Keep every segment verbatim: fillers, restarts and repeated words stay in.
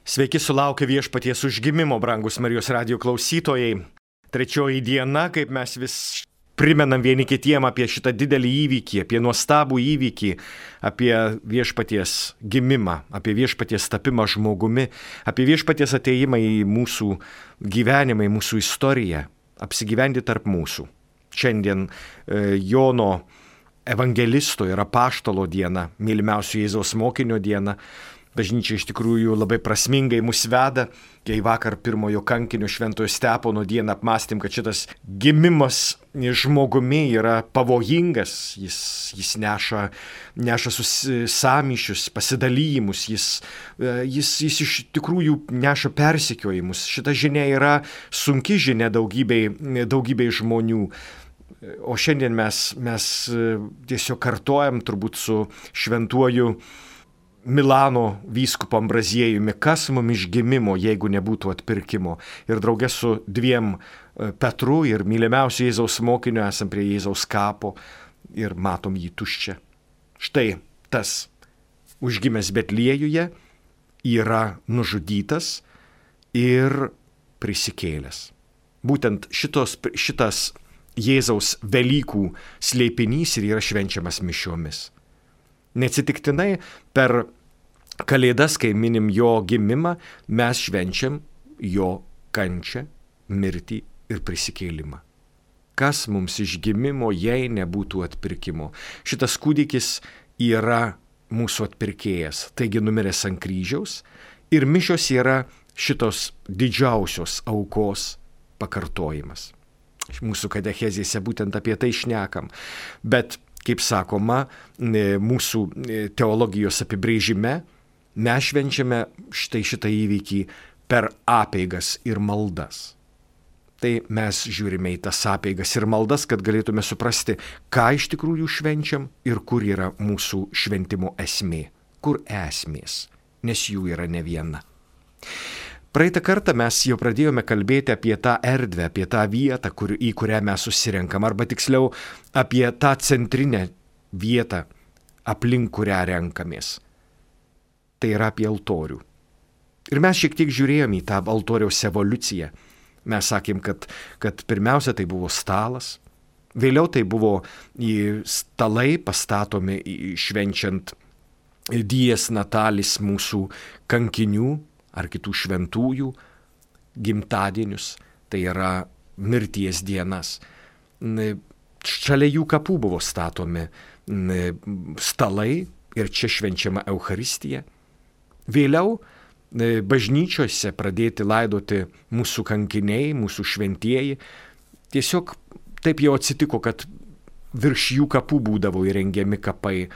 Sveiki sulaukę Viešpaties užgimimo, brangus Marijos radijo klausytojai. Trečioji diena, kaip mes vis primenam vieni kitiem apie šitą didelį įvykį, apie nuostabų įvykį, apie Viešpaties gimimą, apie Viešpaties tapimą žmogumi, apie Viešpaties ateimą į mūsų gyvenimą, į mūsų istoriją, apsigyventi tarp mūsų. Šiandien e, Jono evangelisto ir apaštalo diena, mylimiausio Jėzaus mokinio diena. Bažnyčia iš tikrųjų labai prasmingai mus veda, kai vakar pirmojo kankinio Šventojo Stepono dieną apmąstėm, kad šitas gimimas žmogumi yra pavojingas, jis, jis neša, neša sąmyšius, pasidalymus, jis, jis, jis iš tikrųjų neša persekiojimus. Šita žinia yra sunki žinia daugybei, daugybei žmonių. O šiandien mes, mes tiesiog kartojam turbūt su šventuoju Milano vyskupu Ambraziejumi, kas mum iš gimimo, jeigu nebūtų atpirkimo. Ir draugė su dviem Petru ir mylimiausiu Jėzaus mokiniu esam prie Jėzaus kapo ir matom jį tuščią. Štai tas užgimęs Betliejuje yra nužudytas ir prisikėlęs. Būtent šitos, šitas Jėzaus Velykų slėpinys ir yra švenčiamas mišiomis. Neatsitiktinai per Kalėdas, kai minim jo gimimą, mes švenčiam jo kančią, mirtį ir prisikėlimą. Kas mums iš gimimo, jei nebūtų atpirkimo? Šitas kūdikis yra mūsų atpirkėjas, taigi numiręs ant kryžiaus, ir mišios yra šitos didžiausios aukos pakartojimas. Mūsų katechezėse būtent apie tai šnekam, bet kaip sakoma, mūsų teologijos apibrėžime, mes švenčiame štai šitą įvykį per apeigas ir maldas. Tai mes žiūrime į tas apeigas ir maldas, kad galėtume suprasti, ką iš tikrųjų švenčiam ir kur yra mūsų šventimo esmė, kur esmės, nes jų yra ne viena. Praeitą kartą mes jau pradėjome kalbėti apie tą erdvę, apie tą vietą, kur, į kurią mes susirenkam, arba tiksliau apie tą centrinę vietą, aplink kurią renkamės. Tai yra apie altorių. Ir mes šiek tiek žiūrėjome į tą altoriaus evoliuciją. Mes sakėm, kad, kad pirmiausia tai buvo stalas, vėliau tai buvo stalai pastatomi švenčiant dies natalis mūsų kankinių ar kitų šventųjų gimtadienius, tai yra mirties dienas. Šalia jų kapų buvo statomi stalai ir čia švenčiama Eucharistija. Vėliau bažnyčiose pradėti laidoti mūsų kankiniai, mūsų šventieji. Tiesiog taip jau atsitiko, kad virš jų kapų būdavo įrengiami kapai.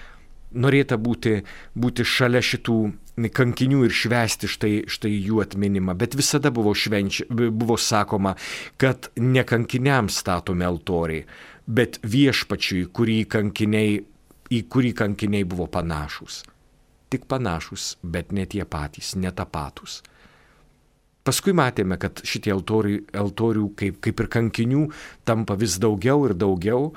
Norėta būti, būti šalia šitų kankinių ir švęsti štai, štai jų atminimą. Bet visada buvo, švenčia, buvo sakoma, kad ne kankiniams statomi altoriai, bet viešpačiui, kurį kankiniai, į kurį kankiniai buvo panašus. Tik panašus, bet ne tie patys, ne tapatus. Paskui matėme, kad šitie altoriai, altorių kaip, kaip ir kankinių tampa vis daugiau ir daugiau.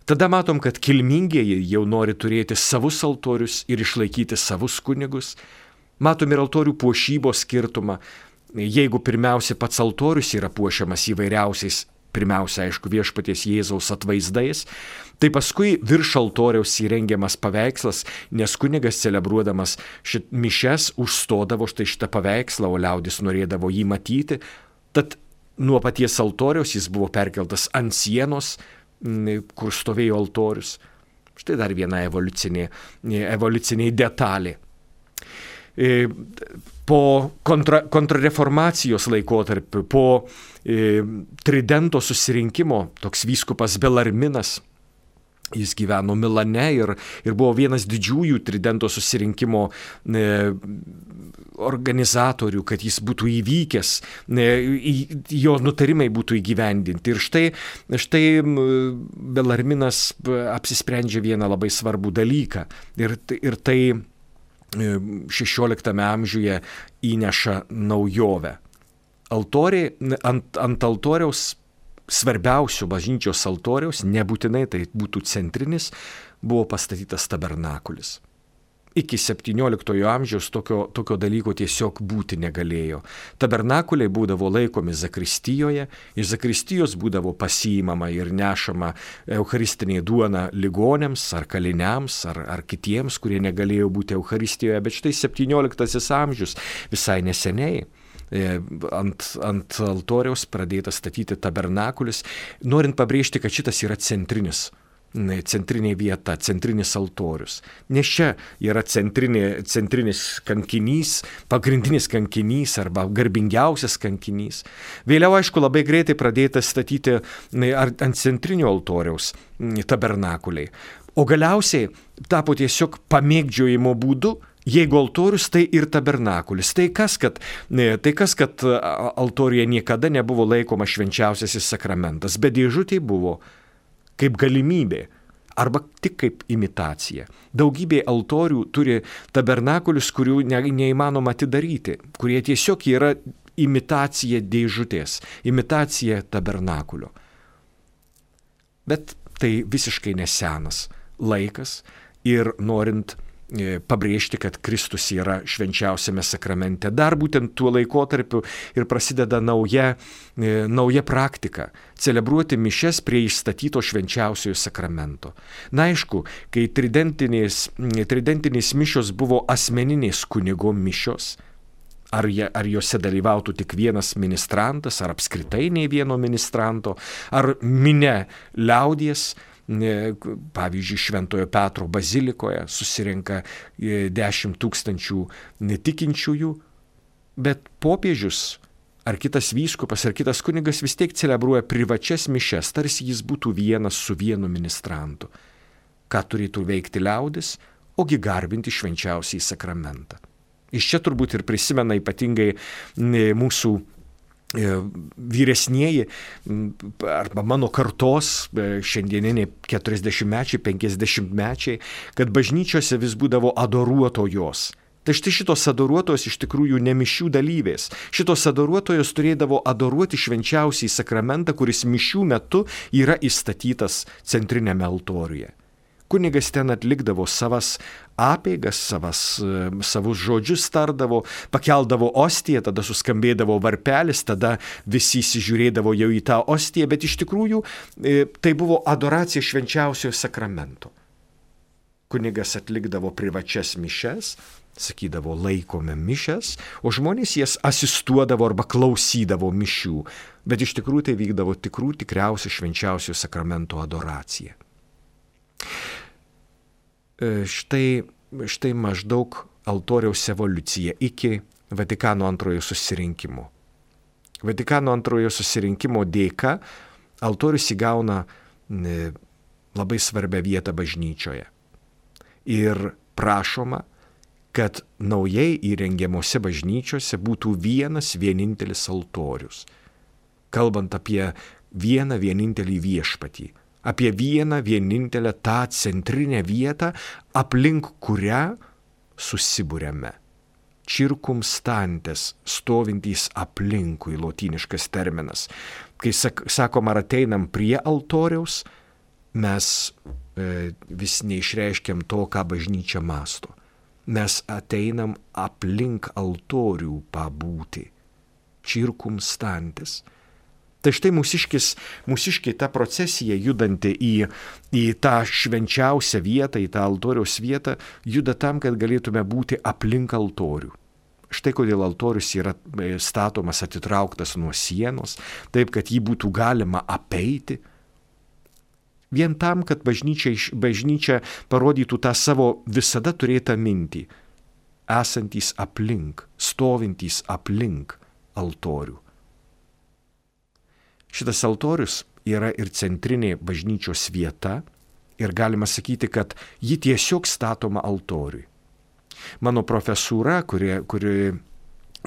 Tada matom, kad kilmingieji jau nori turėti savus altorius ir išlaikyti savus kunigus. Matom ir altorių puošybos skirtumą. Jeigu pirmiausia pats altorius yra puošiamas įvairiausiais, pirmiausia, aišku, Viešpaties Jėzaus atvaizdais, tai paskui virš altoriaus įrengiamas paveikslas, nes kunigas celebruodamas šit mišes užstodavo štai šitą paveikslą, o liaudis norėdavo jį matyti. Tad nuo paties altoriaus jis buvo perkeltas ant sienos, kur stovėjo altorius. Štai dar viena evoliucinė, evoliucinė detalė. Po kontra, kontrareformacijos laikotarpiu, po e, Tridento susirinkimo, toks vyskupas Belarminas, jis gyveno Milane ir, ir buvo vienas didžiųjų Tridento susirinkimo e, organizatorių, kad jis būtų įvykęs, e, jo nutarimai būtų įgyvendinti. Ir štai, štai Belarminas apsisprendžia vieną labai svarbų dalyką. Ir, ir tai šešioliktame amžiuje įneša naujovę. Altoriai, ant, ant altoriaus, svarbiausių bažnyčios altoriaus, nebūtinai tai būtų centrinis, buvo pastatytas tabernakulis. iki septynioliktojo amžiaus tokio, tokio dalyko tiesiog būti negalėjo. Tabernakuliai būdavo laikomi zakristijoje, iš zakristijos būdavo pasiimama ir nešama eucharistinė duona ligonėms ar kaliniams ar, ar kitiems, kurie negalėjo būti eucharistijoje, bet štai septynioliktasis amžius visai neseniai. Ant, ant altoriaus pradėta statyti tabernakulis, norint pabrėžti, kad šitas yra centrinis centrinė vieta, centrinis altorius. Nes čia yra centrinė, centrinis kankinys, pagrindinis kankinys arba garbingiausias kankinys. Vėliau, aišku, labai greitai pradėta statyti ant centrinio altoriaus tabernakuliai. O galiausiai tapo tiesiog pamėgdžiojimo būdu, jeigu altorius, tai ir tabernakulis. Tai kas, kad, tai kas, kad altoriuje niekada nebuvo laikoma švenčiausiasis sakramentas, bet dėžutė buvo kaip galimybė, arba tik kaip imitacija. Daugybė altorių turi tabernakulius, kurių ne, neįmanoma atidaryti, kurie tiesiog yra imitacija dėžutės, imitacija tabernakulio. Bet tai visiškai nesenas laikas ir norint pabrėžti, kad Kristus yra švenčiausiame sakramente. Dar būtent tuo laikotarpiu ir prasideda nauja, nauja praktika – celebruoti mišias prie išstatyto švenčiausiojo sakramento. Na aišku, kai tridentinės, tridentinės mišios buvo asmeninės kunigo mišios, ar, je, ar jose dalyvautų tik vienas ministrantas, ar apskritai nei vieno ministranto, ar minia liaudies, pavyzdžiui, Šventojo Petro bazilikoje susirenka dešimt tūkstančių netikinčiųjų, bet popiežius ar kitas vyskupas ar kitas kunigas vis tiek celebruoja privačias mišias, tarsi jis būtų vienas su vienu ministrantu. Ką turėtų veikti liaudis, ogi garbinti švenčiausiąjį sakramentą. Iš čia turbūt ir prisimena ypatingai mūsų vyresnieji arba mano kartos šiandieniniai keturiasdešimtmečiai, penkiasdešimtmečiai, kad bažnyčiose vis būdavo adoruotojos. Tai štai šitos adoruotojos iš tikrųjų ne mišių dalyvės. Šitos adoruotojos turėdavo adoruoti švenčiausiąjį sakramentą, kuris mišių metu yra įstatytas centrinėme altoriuje. Kunigas ten atlikdavo savas apeigas, savas, savus žodžius tardavo, pakeldavo ostiją, tada suskambėdavo varpelis, tada visi įsižiūrėdavo jau į tą ostiją, bet iš tikrųjų tai buvo adoracija švenčiausiojo sakramento. Kunigas atlikdavo privačias mišias, sakydavo laikome mišias, o žmonės jas asistuodavo arba klausydavo mišių, bet iš tikrųjų tai vykdavo tikrų tikriausia švenčiausiojo sakramento adoracija. Štai, štai maždaug altoriaus evoliucija iki Vatikano antrojo susirinkimo. Vatikano antrojo susirinkimo dėka altorius įgauna labai svarbią vietą bažnyčioje. Ir prašoma, kad naujai įrengiamose bažnyčiose būtų vienas vienintelis altorius. Kalbant apie vieną vienintelį viešpatį. Apie vieną vienintelę tą centrinę vietą, aplink kurią susibūrėme. Circumstantes, stovintys aplinkui, lotyniškas terminas. Kai sak, sakom, ar ateinam prie altoriaus, mes e, vis neišreiškiam to, ką bažnyčia mąsto. Mes ateinam aplink altorių pabūti. Circumstantes. Tai štai mūsiškis, mūsiškiai ta procesija judanti į, į tą švenčiausią vietą, į tą altoriaus vietą, juda tam, kad galėtume būti aplink altorių. Štai kodėl altorius yra statomas atitrauktas nuo sienos, taip, kad jį būtų galima apeiti. Vien tam, kad bažnyčia, bažnyčia parodytų tą savo visada turėtą mintį, esantys aplink, stovintys aplink altorių. Šitas altorius yra ir centrinė bažnyčios vieta ir galima sakyti, kad ji tiesiog statoma altoriui. Mano profesūra, kuri, kuri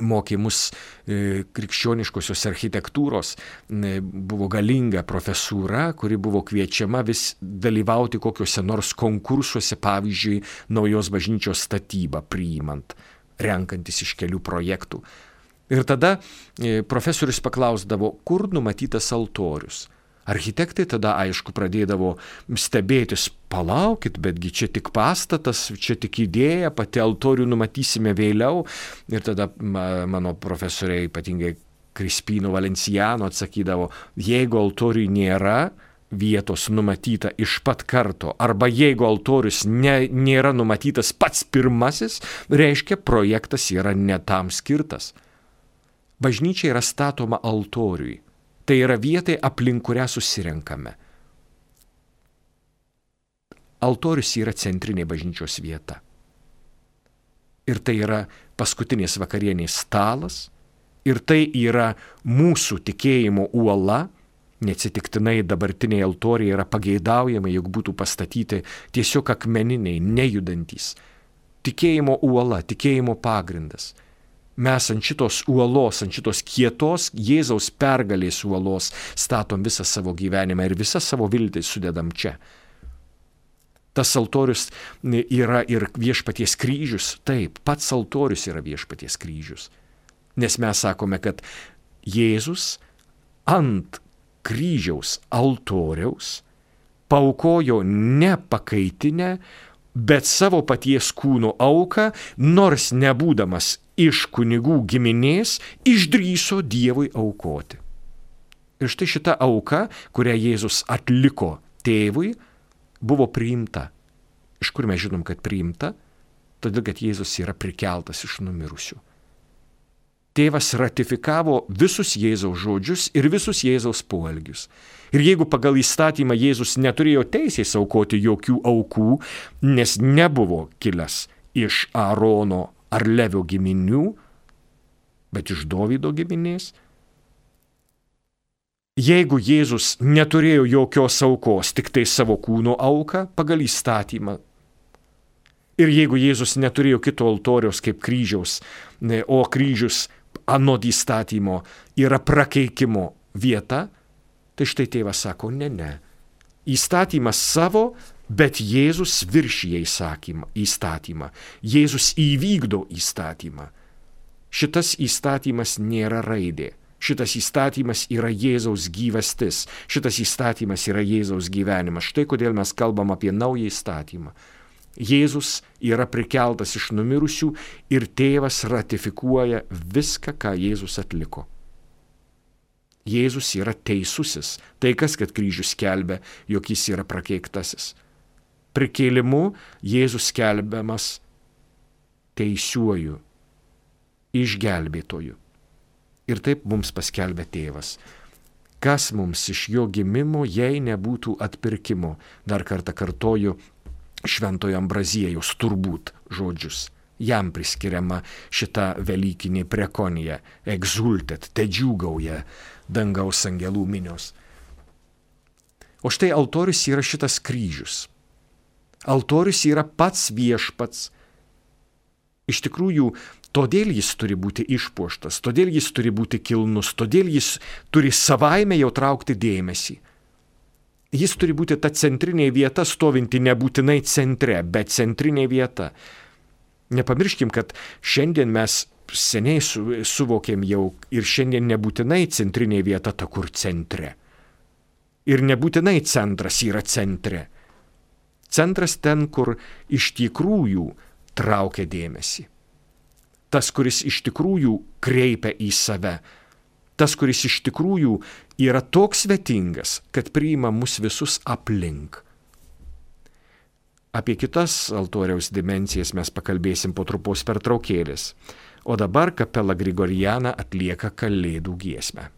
mokė mus e, krikščioniškosios architektūros, e, buvo galinga profesūra, kuri buvo kviečiama vis dalyvauti kokiuose nors konkursuose, pavyzdžiui, naujos bažnyčios statybą priimant, renkantis iš kelių projektų. Ir tada profesorius paklausdavo, kur numatytas altorius. Architektai tada, aišku, pradėdavo stebėtis, palaukit, betgi čia tik pastatas, čia tik idėja, pati altorių numatysime vėliau. Ir tada mano profesoriai, ypatingai Krispino Valenciano, atsakydavo, jeigu altoriui nėra vietos numatyta iš pat karto, arba jeigu altorius ne, nėra numatytas pats pirmasis, reiškia, projektas yra ne tam skirtas. Bažnyčia yra statoma altoriui. Tai yra vietai, aplink kurią susirenkame. Altorius yra centrinė bažnyčios vieta. Ir tai yra paskutinės vakarienės stalas, ir tai yra mūsų tikėjimo uola. Neatsitiktinai dabartiniai altoriai yra pageidaujami, jog būtų pastatyti tiesiog akmeniniai, nejudantys. Tikėjimo uola, tikėjimo pagrindas. Mes ant šitos uolos, ant šitos kietos Jėzaus pergalės uolos statom visą savo gyvenimą ir visą savo viltį sudedam čia. Tas altorius yra ir viešpaties kryžius. Taip, pats altorius yra viešpaties kryžius. Nes mes sakome, kad Jėzus ant kryžiaus altoriaus paaukojo ne pakaitinę, bet savo paties kūno auką, nors nebūdamas iš kunigų giminės, išdrįso Dievui aukoti. Ir štai šita auka, kurią Jėzus atliko tėvui, buvo priimta. Iš kur mes žinom, kad priimta? Todėl, kad Jėzus yra prikeltas iš numirusių. Tėvas ratifikavo visus Jėzaus žodžius ir visus Jėzaus poelgius. Ir jeigu pagal įstatymą Jėzus neturėjo teisės aukoti jokių aukų, nes nebuvo kilęs iš Aarono ar Levio giminių, bet iš Dovydo giminės, jeigu Jėzus neturėjo jokios aukos, tik tai savo kūno auką pagal įstatymą, ir jeigu Jėzus neturėjo kito altoriaus kaip kryžiaus, o kryžius anot įstatymo yra prakeikimo vieta, tai štai tėvas sako, ne, ne. Įstatymas savo, bet Jėzus viršija įstatymą. Jėzus įvykdo įstatymą. Šitas įstatymas nėra raidė. Šitas įstatymas yra Jėzaus gyvastis. Šitas įstatymas yra Jėzaus gyvenimas. Štai kodėl mes kalbam apie naują įstatymą. Jėzus yra prikeltas iš numirusių ir tėvas ratifikuoja viską, ką Jėzus atliko. Jėzus yra teisusis. Tai kas, kad kryžius skelbia, jog jis yra prakeiktasis. Prikėlimu Jėzus skelbiamas teisiuoju, išgelbėtoju. Ir taip mums paskelbė tėvas. Kas mums iš jo gimimo, jei nebūtų atpirkimo? Dar kartą kartoju šventojo Ambraziejaus turbūt žodžius. Jam priskiriama šita velykinė prekonija, exultet, te džiūgauja dangaus angelų minios. O štai altorius yra šitas kryžius. Altorius yra pats viešpats. Iš tikrųjų, todėl jis turi būti išpuoštas, todėl jis turi būti kilnus, todėl jis turi savaime jau traukti dėmesį. Jis turi būti ta centrinė vieta, stovinti nebūtinai centre, bet centrinė vieta. Nepamirškim, kad šiandien mes seniai su, suvokėm jau ir šiandien nebūtinai centrinė vieta ta, kur centre. Ir nebūtinai centras yra centre. Centras ten, kur iš tikrųjų traukia dėmesį. Tas, kuris iš tikrųjų kreipia į save. Tas, kuris iš tikrųjų yra toks svetingas, kad priima mus visus aplink. Apie kitas altoriaus dimensijas mes pakalbėsim po trumpos pertraukėlės. O dabar kapela Grigoriana atlieka kalėdų giesmę.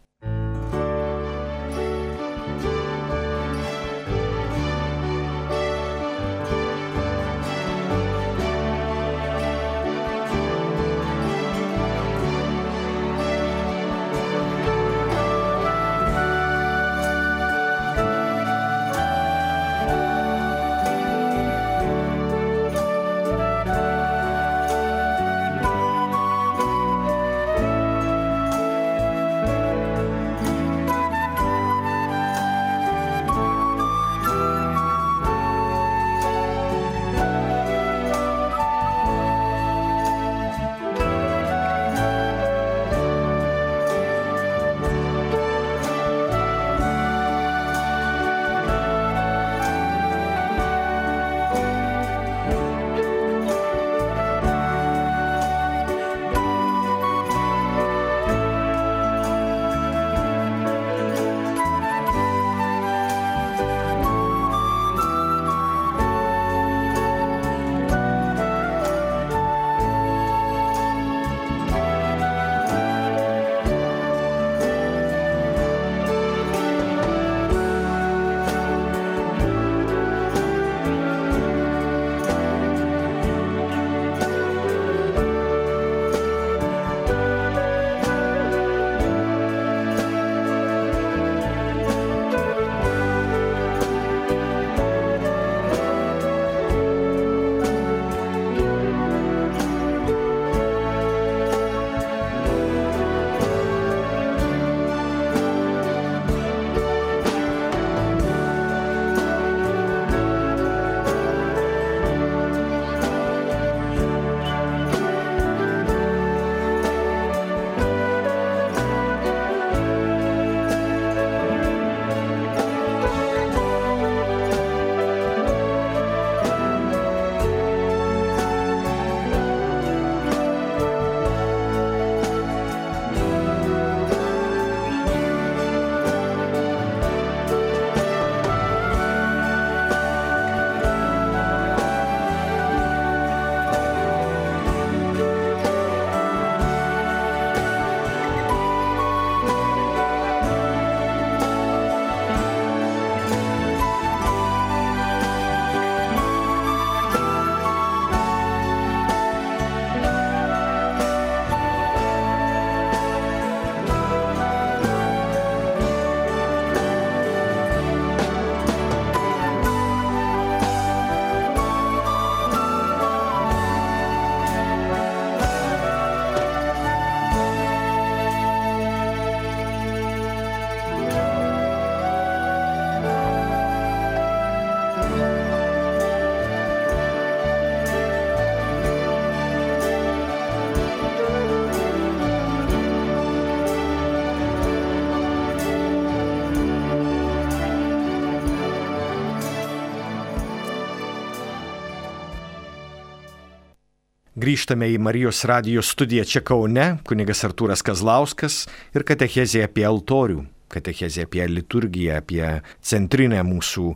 Grįžtame į Marijos radijo studiją čia Kaune, kunigas Artūras Kazlauskas ir katechezė apie altorių, katechezė apie liturgiją, apie centrinę mūsų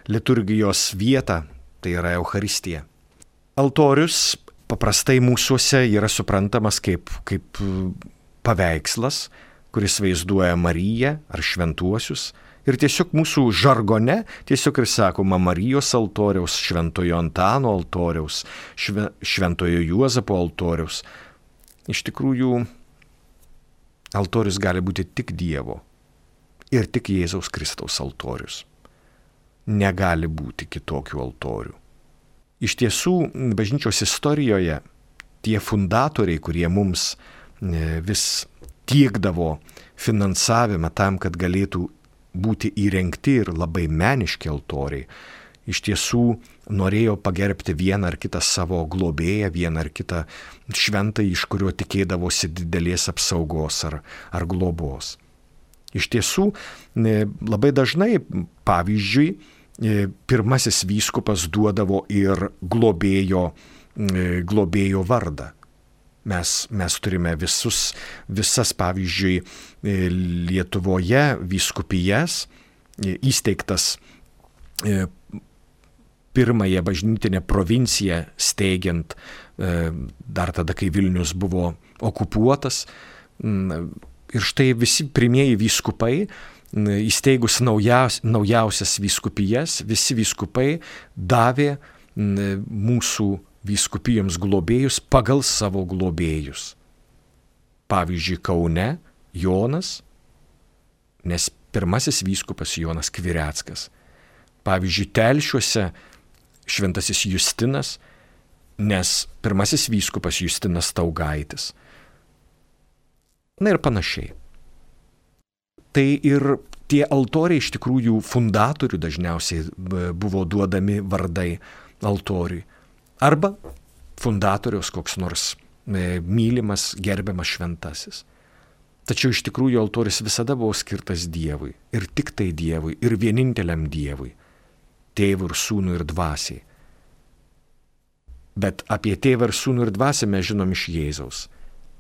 liturgijos vietą, tai yra Eucharistija. Altorius paprastai mūsuose yra suprantamas kaip, kaip paveikslas, kuris vaizduoja Mariją ar šventuosius. Ir tiesiog mūsų žargone tiesiog ir sakoma Marijos altoriaus, Šventojo Antano altoriaus, šve, Šventojo Juozapo altoriaus. Iš tikrųjų, altorius gali būti tik Dievo ir tik Jėzaus Kristaus altorius. Negali būti kitokių altorių. Iš tiesų, bažnyčios istorijoje tie fundatoriai, kurie mums vis tiekdavo finansavimą tam, kad galėtų būti įrengti ir labai meniški altoriai, iš tiesų norėjo pagerbti vieną ar kitą savo globėją, vieną ar kitą šventąjį, iš kurio tikėdavosi didelės apsaugos ar, ar globos. Iš tiesų, labai dažnai, pavyzdžiui, pirmasis vyskupas duodavo ir globėjo, globėjo vardą. Mes, mes turime visus, visas, pavyzdžiui, Lietuvoje vyskupijas, įsteigtas pirmąją bažnytinę provinciją steigiant, dar tada, kai Vilnius buvo okupuotas. Ir štai visi pirmieji vyskupai, įsteigus naujaus, naujausias vyskupijas, visi vyskupai davė mūsų vyskupijoms globėjus pagal savo globėjus. Pavyzdžiui, Kaune Jonas, nes pirmasis vyskupas Jonas Kvireckas. Pavyzdžiui, Telšiuose šventasis Justinas, nes pirmasis vyskupas Justinas Taugaitis. Na ir panašiai. Tai ir tie altoriai iš tikrųjų fundatorių dažniausiai buvo duodami vardai altoriui. Arba fundatoriaus koks nors mylimas, gerbiamas šventasis. Tačiau iš tikrųjų altorius visada buvo skirtas Dievui, ir tik tai Dievui, ir vieninteliam Dievui, Tėvui ir Sūnui ir Dvasiai. Bet apie Tėvą ir Sūnų ir Dvasią mes žinom iš Jėzaus.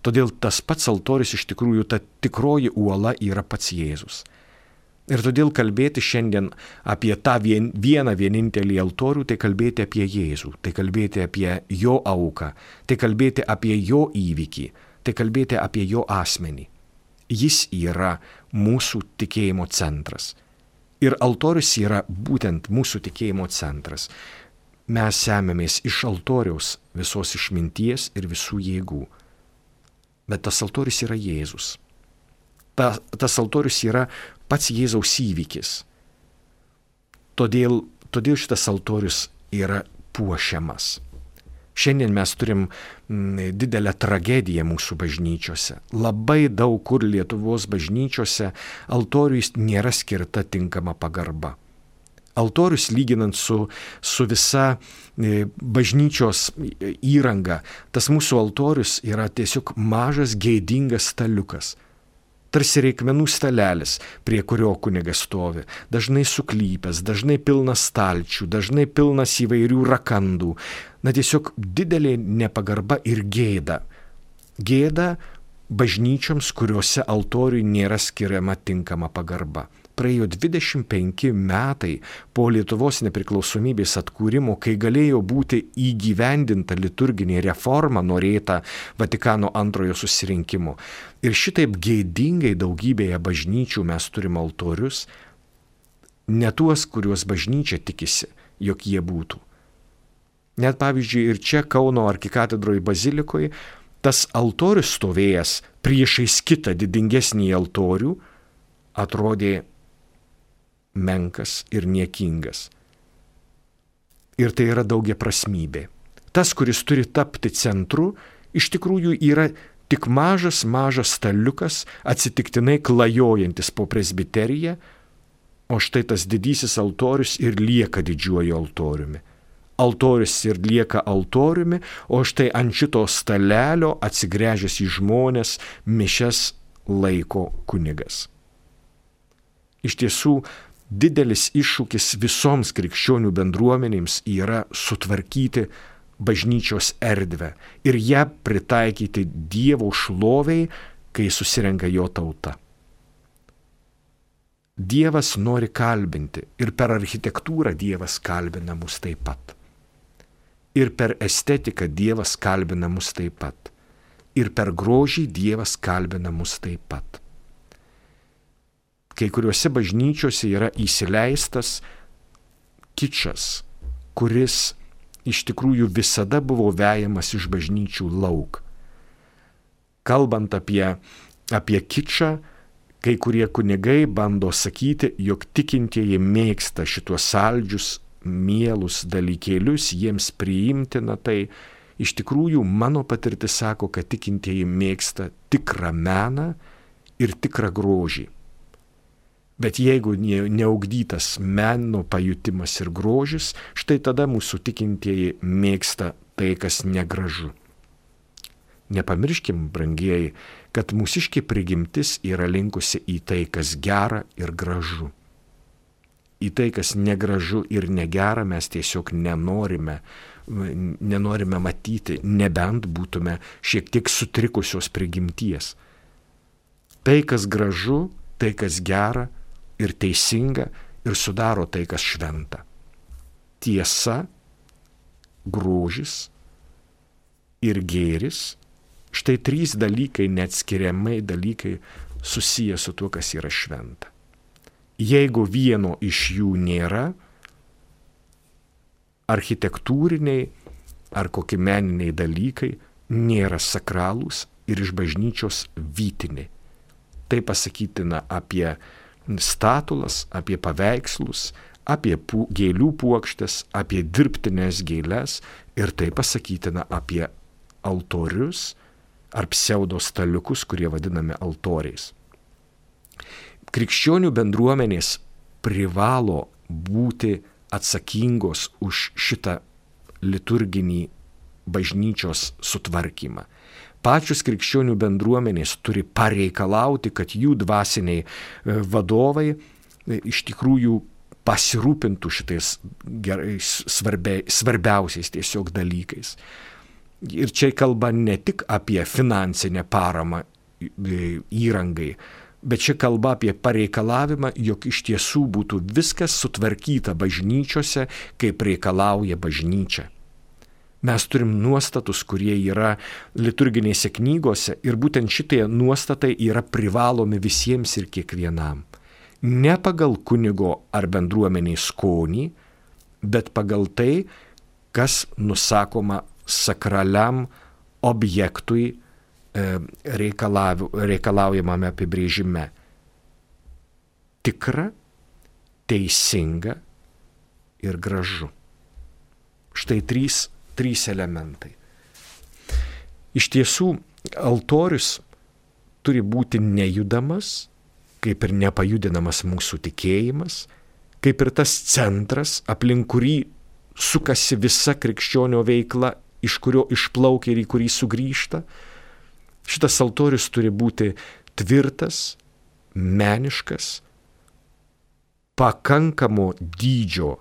Todėl tas pats altorius iš tikrųjų, ta tikroji uola yra pats Jėzus. Ir todėl kalbėti šiandien apie tą vien, vieną vienintelį altorių, tai kalbėti apie Jėzų, tai kalbėti apie jo auką, tai kalbėti apie jo įvykį, tai kalbėti apie jo asmenį. Jis yra mūsų tikėjimo centras. Ir altorius yra būtent mūsų tikėjimo centras. Mes semiamės iš altoriaus visos išminties ir visų jėgų. Bet tas altorius yra Jėzus. Ta, tas altorius yra pats Jėzaus įvykis. Todėl, todėl šitas altorius yra puošiamas. Šiandien mes turim didelę tragediją mūsų bažnyčiose. Labai daug kur Lietuvos bažnyčiose altoriui nėra skirta tinkama pagarba. Altorius, lyginant su, su visa bažnyčios įranga, tas mūsų altorius yra tiesiog mažas gėdingas staliukas. Tarsi reikmenų stalelis, prie kurio kunigas stovi, dažnai suklypęs, dažnai pilnas stalčių, dažnai pilnas įvairių rakandų. Na tiesiog didelė nepagarba ir gėda. Gėda bažnyčioms, kuriuose altoriui nėra skiriama tinkama pagarba. Praėjo dvidešimt penki metai po Lietuvos nepriklausomybės atkūrimo, kai galėjo būti įgyvendinta liturginė reforma norėta Vatikano antrojo susirinkimo. Ir šitaip gėdingai daugybėje bažnyčių mes turime altorius, ne tuos, kuriuos bažnyčia tikisi, jog jie būtų. Net pavyzdžiui ir čia Kauno arkikatedroje bazilikoje tas altorius stovėjęs priešais kitą didingesnį altorių atrodė menkas ir niekingas. Ir tai yra daugiaprasmybė. Tas, kuris turi tapti centru, iš tikrųjų yra tik mažas, mažas staliukas, atsitiktinai klajojantis po presbiteriją, o štai tas didysis altorius ir lieka didžiuoju altoriumi. Altorius ir lieka altoriumi, o štai ant šito stalelio atsigręžęs į žmones mišias laiko kunigas. Iš tiesų, didelis iššūkis visoms krikščionių bendruomenėms yra sutvarkyti bažnyčios erdvę ir ją pritaikyti Dievo šloviai, kai susirenka jo tauta. Dievas nori kalbinti ir per architektūrą Dievas kalbina mus taip pat. Ir per estetiką Dievas kalbina mus taip pat. Ir per grožį Dievas kalbina mus taip pat. Kai kuriuose bažnyčiose yra įsileistas kičas, kuris iš tikrųjų visada buvo vejamas iš bažnyčių lauk. Kalbant apie, apie kičą, kai kurie kunigai bando sakyti, jog tikintieji mėgsta šitos saldžius, mielus dalykėlius, jiems priimtina tai. Iš tikrųjų, mano patirtis sako, kad tikintieji mėgsta tikrą meną ir tikrą grožį. Bet jeigu neugdytas meno pajutimas ir grožis, štai tada mūsų tikintieji mėgsta tai, kas negražu. Nepamirškim, brangieji, kad mūsiškė prigimtis yra linkusi į tai, kas gera ir gražu. Į tai, kas negražu ir negera, mes tiesiog nenorime, nenorime matyti, nebent būtume šiek tiek sutrikusios prigimties. Tai, kas gražu, tai, kas gera ir teisinga ir sudaro tai, kas šventa. Tiesa, grožis ir gėris. Štai trys dalykai, neatskiriamai dalykai susiję su tuo, kas yra šventa. Jeigu vieno iš jų nėra, architektūriniai ar kokie meniniai dalykai nėra sakralūs ir iš bažnyčios vytiniai. Tai pasakytina apie statulas, apie paveikslus, apie pu, gėlių puokštes, apie dirbtines gėles ir tai pasakytina apie altorius ar pseudo staliukus, kurie vadinami altoriais. Krikščionių bendruomenės privalo būti atsakingos už šitą liturginį bažnyčios sutvarkymą. Pačios krikščionių bendruomenės turi pareikalauti, kad jų dvasiniai vadovai iš tikrųjų pasirūpintų šitais gerais, svarbia, svarbiausiais tiesiog dalykais. Ir čia kalba ne tik apie finansinę paramą įrangai, bet čia kalba apie pareikalavimą, jog iš tiesų būtų viskas sutvarkyta bažnyčiose, kaip reikalauja bažnyčia. Mes turim nuostatus, kurie yra liturginėse knygose ir būtent šitie nuostatai yra privalomi visiems ir kiekvienam. Ne pagal kunigo ar bendruomeniai skonį, bet pagal tai, kas nusakoma sakraliam objektui reikalaujamame apibrėžime. Tikra, teisinga ir gražu. Štai trys, trys elementai. Iš tiesų, altorius turi būti nejudamas, kaip ir nepajudinamas mūsų tikėjimas, kaip ir tas centras, aplink kurį sukasi visa krikščionio veikla, iš kurio išplaukia ir į kurį sugrįžta. Šitas altorius turi būti tvirtas, meniškas, pakankamo dydžio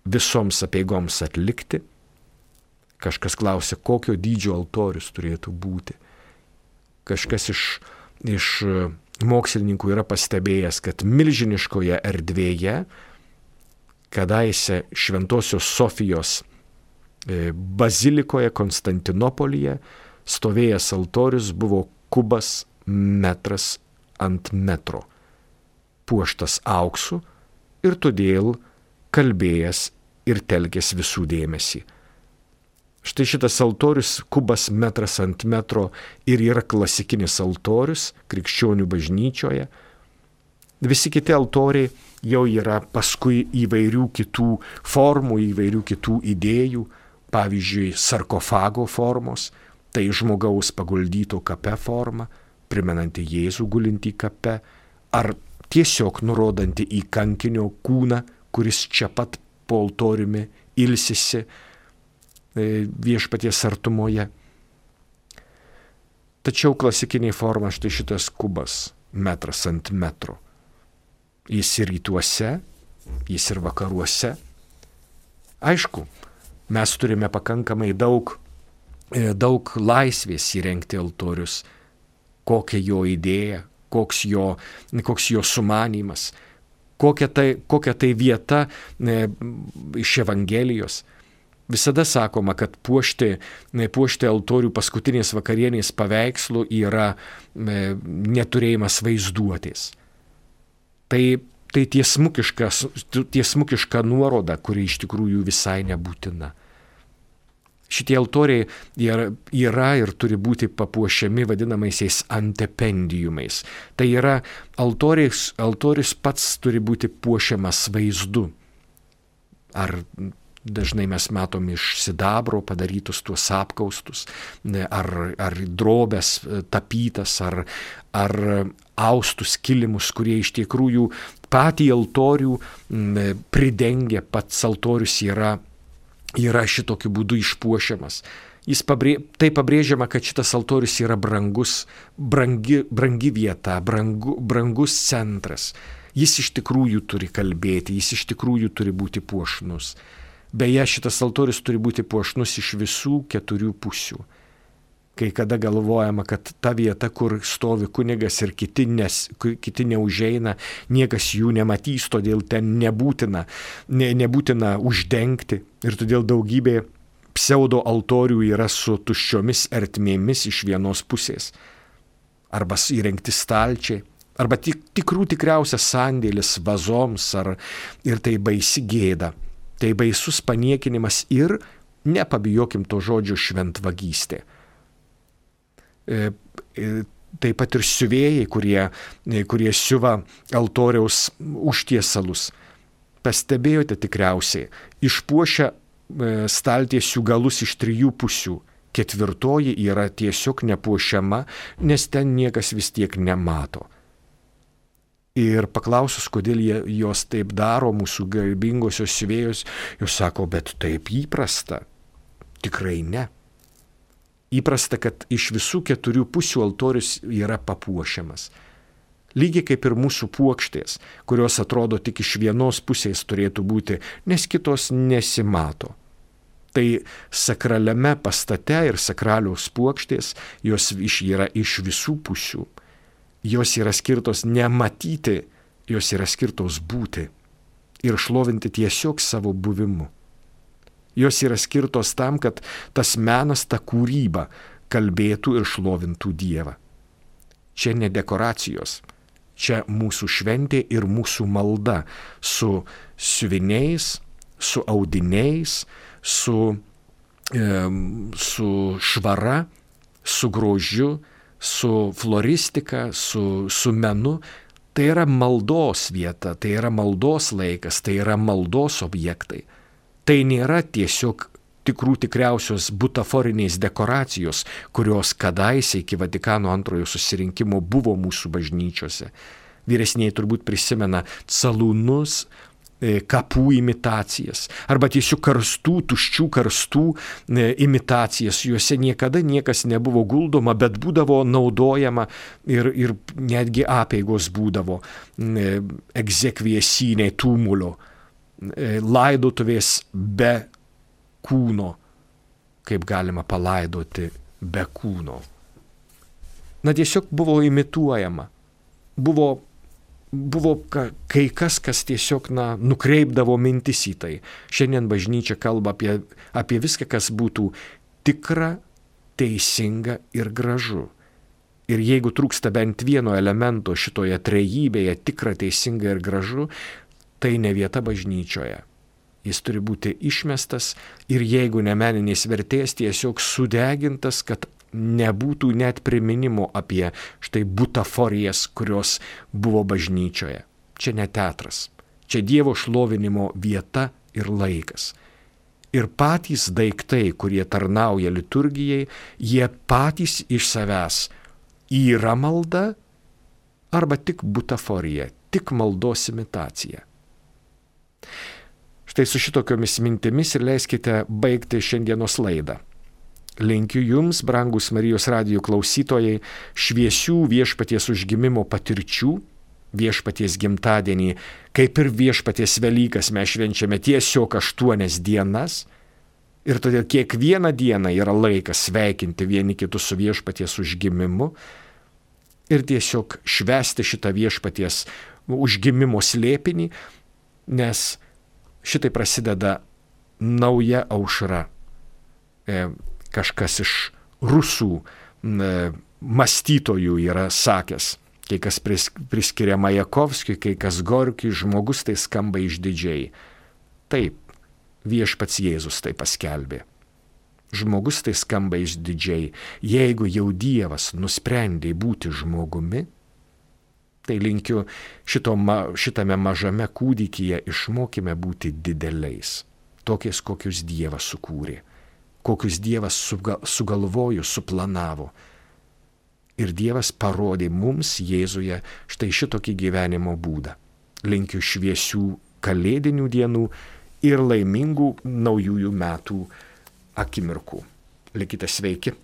visoms apeigoms atlikti. Kažkas klausia, kokio dydžio altorius turėtų būti. Kažkas iš, iš mokslininkų yra pastebėjęs, kad milžiniškoje erdvėje, kadaise Šventosios Sofijos bazilikoje Konstantinopolyje, stovėjęs altorius buvo kubas metras ant metro, puoštas auksu ir todėl kalbėjęs ir telkęs visų dėmesį. Štai šitas altorius, kubas metras ant metro, ir yra klasikinis altorius krikščionių bažnyčioje. Visi kiti altoriai jau yra paskui įvairių kitų formų, įvairių kitų idėjų, pavyzdžiui, sarkofago formos, tai žmogaus paguldyto kape forma, primenanti Jėzų gulintį kape, ar tiesiog nurodanti į kankinio kūną, kuris čia pat po altoriumi ilsisi viešpaties artumoje. Tačiau klasikiniai forma štai šitas kubas metras ant metro. Jis ir rytuose, jis ir vakaruose. Aišku, Mes turime pakankamai daug, daug laisvės įrengti altorius. Kokia jo idėja, koks jo, koks jo sumanymas, kokia tai, kokia tai vieta e, iš Evangelijos. Visada sakoma, kad puošti, puošti altorių paskutinės vakarienės paveikslų yra e, neturėjimas vaizduotės. Tai, tai tiesmukiška nuoroda, kuri iš tikrųjų visai nebūtina. Šitie altoriai yra, yra ir turi būti papuošiami vadinamaisiais antependiumais. Tai yra altorius, altorius pats turi būti puošiamas vaizdu. Ar dažnai mes matom iš sidabro padarytus tuos apkaustus, ar, ar drobės tapytas, ar, ar austus kilimus, kurie iš tikrųjų patį altorių pridengia, pats altorius yra yra šitokiu būdu išpuošiamas. Jis pabrė, tai pabrėžiama, kad šitas altorius yra brangus, brangi, brangi vieta, brangu, brangus centras. Jis iš tikrųjų turi kalbėti, jis iš tikrųjų turi būti puošnus. Beje, šitas altorius turi būti puošnus iš visų keturių pusių. Kai kada galvojama, kad ta vieta, kur stovi kunigas ir kiti, nes, kiti neužeina, niekas jų nematys, todėl ten nebūtina, ne, nebūtina uždengti. Ir todėl daugybė pseudo altorių yra su tuščiomis ertmėmis iš vienos pusės. Arba įrengti stalčiai, arba tik, tikrų tikriausias sandėlis vazoms, ar, ir tai baisi gėda. Tai baisus paniekinimas ir, nepabijokim to žodžio, šventvagystė. Taip pat ir siuvėjai, kurie, kurie siuva altoriaus užtiesalus. Pastebėjote tikriausiai, išpuošia staltiesių galus iš trijų pusių. Ketvirtoji yra tiesiog nepuošiama, nes ten niekas vis tiek nemato. Ir paklausus, kodėl jie, jos taip daro, mūsų garbingosios siuvėjos, jos sako, bet taip įprasta. Tikrai ne. Įprasta, kad iš visų keturių pusių altorius yra papuošiamas. Lygiai kaip ir mūsų puokštės, kurios atrodo tik iš vienos pusės turėtų būti, nes kitos nesimato. Tai sakraliame pastate ir sakraliaus puokštės, jos yra iš visų pusių. Jos yra skirtos nematyti, jos yra skirtos būti ir šlovinti tiesiog savo buvimu. Jos yra skirtos tam, kad tas menas, ta kūryba kalbėtų ir šlovintų Dievą. Čia ne dekoracijos, čia mūsų šventė ir mūsų malda su siuviniais, su audiniais, su, e, su švara, su grožiu, su floristika, su, su menu. Tai yra maldos vieta, tai yra maldos laikas, tai yra maldos objektai. Tai nėra tiesiog tikrų tikriausios butaforinės dekoracijos, kurios kadaise iki Vatikano antrojo susirinkimo buvo mūsų bažnyčiose. Vyresniai turbūt prisimena salūnus, kapų imitacijas, arba tiesiog karstų, tuščių karstų imitacijas. Juose niekada niekas nebuvo guldoma, bet būdavo naudojama ir, ir netgi apeigos būdavo egzekviesiniai tūmulio. Laidotuvės be kūno, kaip galima palaidoti be kūno. Na tiesiog buvo imituojama, buvo, buvo kai kas, kas tiesiog na, nukreipdavo mintis į tai. Šiandien bažnyčia kalba apie, apie viską, kas būtų tikra, teisinga ir gražu. Ir jeigu trūksta bent vieno elemento šitoje trejybėje, tikra, teisinga ir gražu, tai ne vieta bažnyčioje. Jis turi būti išmestas ir jeigu ne meninės vertės, tiesiog sudegintas, kad nebūtų net priminimo apie štai butaforijas, kurios buvo bažnyčioje. Čia ne teatras, čia Dievo šlovinimo vieta ir laikas. Ir patys daiktai, kurie tarnauja liturgijai, jie patys iš savęs yra malda arba tik butaforija, tik maldos imitacija. Štai su šitokiomis mintimis ir leiskite baigti šiandienos laidą. Linkiu jums, brangus Marijos radijo klausytojai, šviesių viešpaties užgimimo patirčių, viešpaties gimtadienį, kaip ir viešpaties Velykas mes švenčiame tiesiog aštuonias dienas, Ir todėl kiekvieną dieną yra laikas sveikinti vieni kitus su viešpaties užgimimu ir tiesiog švęsti šitą viešpaties užgimimo slėpinį, nes šitai prasideda nauja aušra. E, kažkas iš rusų e, mąstytojų yra sakęs, kai kas pris, priskiria Majakovskiui, kai kas Gorkiui, žmogus tai skamba išdidžiai. Taip, viešpats Jėzus tai paskelbė. Žmogus tai skamba išdidžiai. Jeigu jau Dievas nusprendė būti žmogumi, tai linkiu šito, šitame mažame kūdikyje išmokime būti dideliais. Tokiais, kokius Dievas sukūrė. Kokius Dievas sugalvojo, suplanavo. Ir Dievas parodė mums Jėzuje štai šitokį gyvenimo būdą. Linkiu šviesių kalėdinių dienų ir laimingų naujųjų metų akimirkų. Likite sveiki.